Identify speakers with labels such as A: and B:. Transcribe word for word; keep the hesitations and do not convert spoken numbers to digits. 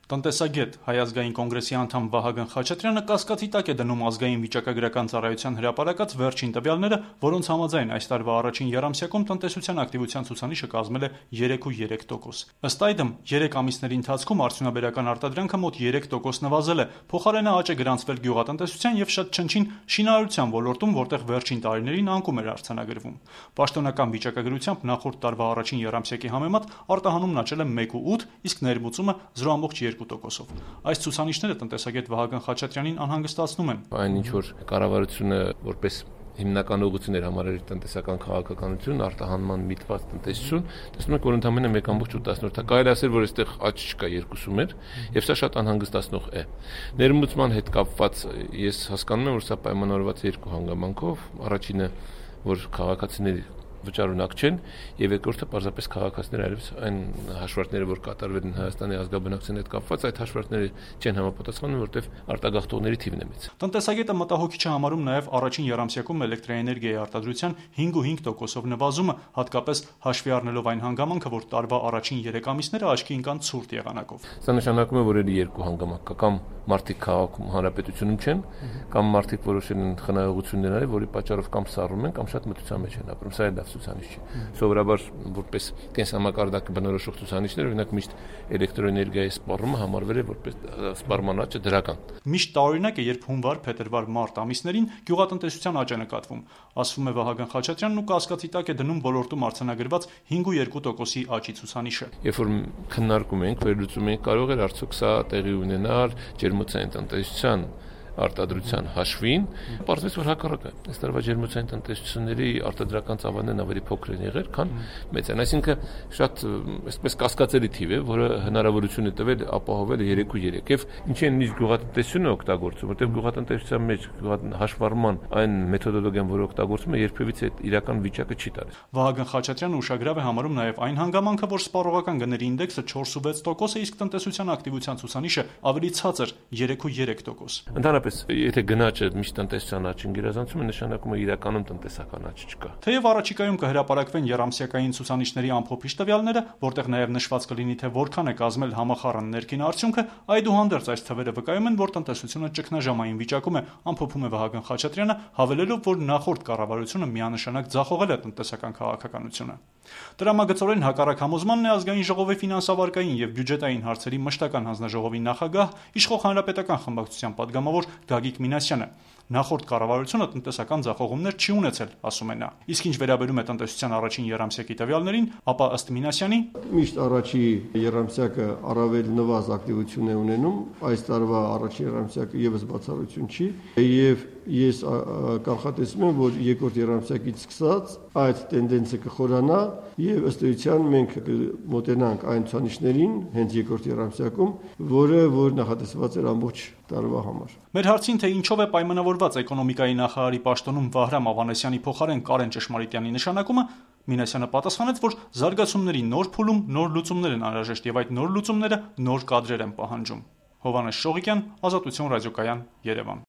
A: Տնտեսագետ, Հայ ազգային կոնգրեսի անդամ Վահագն Խաչատրյանը կասկածի տակ է դնում ազգային վիճակագրական ծառայության հրապարակած վերջին տվյալները, որոնց համաձայն այս տարվա առաջին եռամսյակում տնտեսության ակտիվության ցուցանիշը կազմել է երեք կόμμα երեք տոկոս։ Ըստ այդմ, երեք ամիսների ընթացքում արդյունաբերական արտադրանքը մոտ երեք տոկոս նվազել է, փոխարենը աճ է գրանցվել գյուղատնտեսության եւ շատ չնչին շինարարության ոլորտում, որտեղ վերջին տարիներին անկում էր արձանագրվում։ Պաշտոնական վիճակագրությամբ նախորդ տարվա առաջին եռամսյակի համեմատ արտահանումն աճել է մեկ կόμμα ութ, իսկ ներմուծումը զրո կόμma երկու տոկոսով։ Այս ցուցանիշները տնտեսագետ Վահագն Խաչատրյանին անհանգստացնում են։
B: Այն ինչ որ կառավարությունը որպես հիմնական ուղղություն էր համարել տնտեսական քաղաքականություն, արտահանման միտված տնտեսություն, տեսնում եք, որ ընդամենը մեկ կόμma ութ, կարելի ասել, որ այստեղ աճ չկա, երկուսում էր, եւ սա շատ անհանգստացնող է։ Ներմուծման հետ կապված ես հասկանում եմ, որ սա պայմանավորված է երկու հանգամանքով, առաջինը, որ քաղաքացիների վճարունակ չեն, եւ երկրորդը պարզապես քաղաքացիները այլևս այն հաշվարկները, որ կատարվել են Հայաստանի ազգաբնակության հետ կապված, այդ հաշվարկները չեն համապատասխանում, որտեղ արտագաղթողների թիվն է մեծ։
A: Տնտեսագետը մտահոգիչ է համարում նաեւ առաջին եռամսյակում էլեկտրաէներգիայի արտադրության հինգ կόμma հինգ տոկոսով նվազումը, հատկապես հաշվի առնելով այն հանգամանքը, որ տարվա առաջին երեք ամիսները աչքի ընկան ցուրտ եղանակով։
B: Սա նշանակում է, որ ելի երկու հանգամանք կա, կամ մարդիկ քաղաքում հանրապետությունում չեն, կամ մարդիկ որոշել են խնայողություններ արել, որի պատճառով կամ սառում են, կամ շատ մթության մեջ են ապրում։ Սա է ցուցանիշ չէ։ Սովորաբար որպես կենսամակարդակը բնորոշող ցուցանիշներ, օրինակ միշտ էլեկտրոէներգիայի սպառումը համարվել է որպես սպառման աճը դրական։
A: Միշտ տարօրինակ է, երբ հունվար, փետրվար, մարտ ամիսներին գյուղատնտեսության աճ է նկատվում, ասվում է Վահագն Խաչատրյանն ու կասկածի տակ է դնում ոլորտում արձանագրված հինգ կόμma երկու տոկոսի աճի ցուցանիշը։
B: Երբ որ քննարկում ենք, վերլուծում ենք, կարող էր արդյոք սա տեղի ունենալ ջերմոցային տնտեսության արտադրության հաշվին, պարզվեց, որ հակառակը։ Այս տարվա ջերմոցային տնտեսությունների արտադրական ծավալներն ավելի փոքր են եղել, քան մեծ են։ Այսինքն շատ այսպես կասկածելի թիվ է, որը հնարավորություն է տվել ապահովել երեք կόμma երեք։ Եվ ինչի են նույնիսկ գյուղատնտեսությունը օգտագործում, որտեղ գյուղատնտեսության մեջ հաշվառման այն մեթոդոլոգիան, որը օգտագործում է, երբևիցե այդ իրական վիճակը չի տալիս։
A: Վահագն Խաչատրյանը ուշագրավ է համարում նաև այն հանգամանքը, որ սպառողական գների ինդեքսը չորս կόμma վեց տոկոս է, իսկ տնտեսության ակտիվության ցուցանիշը ավելի ցածր երեք կόμma երեք տոկոս։
B: Ընդհանրապես, եթե գնաճը միշտ տնտեսության աճին գերազանցում է, նշանակում է իրականում տնտեսական աճ չկա։
A: Թեև առաջիկայում կհրապարակվեն եռամսյակային ցուցանիշների ամփոփիչ տվյալները, որտեղ նաև նշված կլինի, թե որքան է կազմել համախառն ներքին արդյունքը, այդուհանդերձ այս թվերը վկայում են, որ տնտեսությունը ճգնաժամային վիճակում է, ամփոփում է Վահագն Խաչատրյանը, հավելելով, որ նախորդ կառավարությունը միանշանակ ձախողել է տնտեսական քաղաքականությունը։ Տրամագծորեն հակառակ համոզմանն է ազգային ժողովի ֆինանսավարկային եւ բյուջետային հարցերի մշտական հանձնաժողովի նախագահ, իշխող հանրապետական խմբակցության падգամավոր Գագիկ Մինասյանը։ Նախորդ կառավարությունը տնտեսական ձախողումներ չի ունեցել, ասում է նա։ Իսկ ինչ վերաբերում է տնտեսության առաջին եռամսյակի տվյալներին, ապա ըստ Մինասյանի
C: միշտ առաջի եռամսյակը առավել նվազ ակտիվություն է ունենում, այս տարվա առաջին եռամսյակը եւս բացառություն չի, եւ ես կանխատեսում եմ, որ երկրորդ եռամսյակից սկսած այդ տենդենսը կխորանա եւ ըստ էության մենք մոտենանք այն ցուցանիշներին հենց երկրորդ եռամսյակում, որը որ նախատեսված էր ամբողջ տարվա համար։
A: Մեր հարցին, թե ինչով է պայմանավորված էկոնոմիկայի նախարարի պաշտոնում Վահրամ Ավանեսյանի փոխարեն Կարեն Ճշմարիտյանի նշանակումը, Մինասյանը պատասխանեց, որ զարգացումների նոր փուլում նոր լուծումներ են անհրաժեշտ եւ այդ նոր լուծումները նոր կադրեր են պահանջում։ Հովհաննես Շողիկյան, Ազատություն ռադիոկայան, Երևան։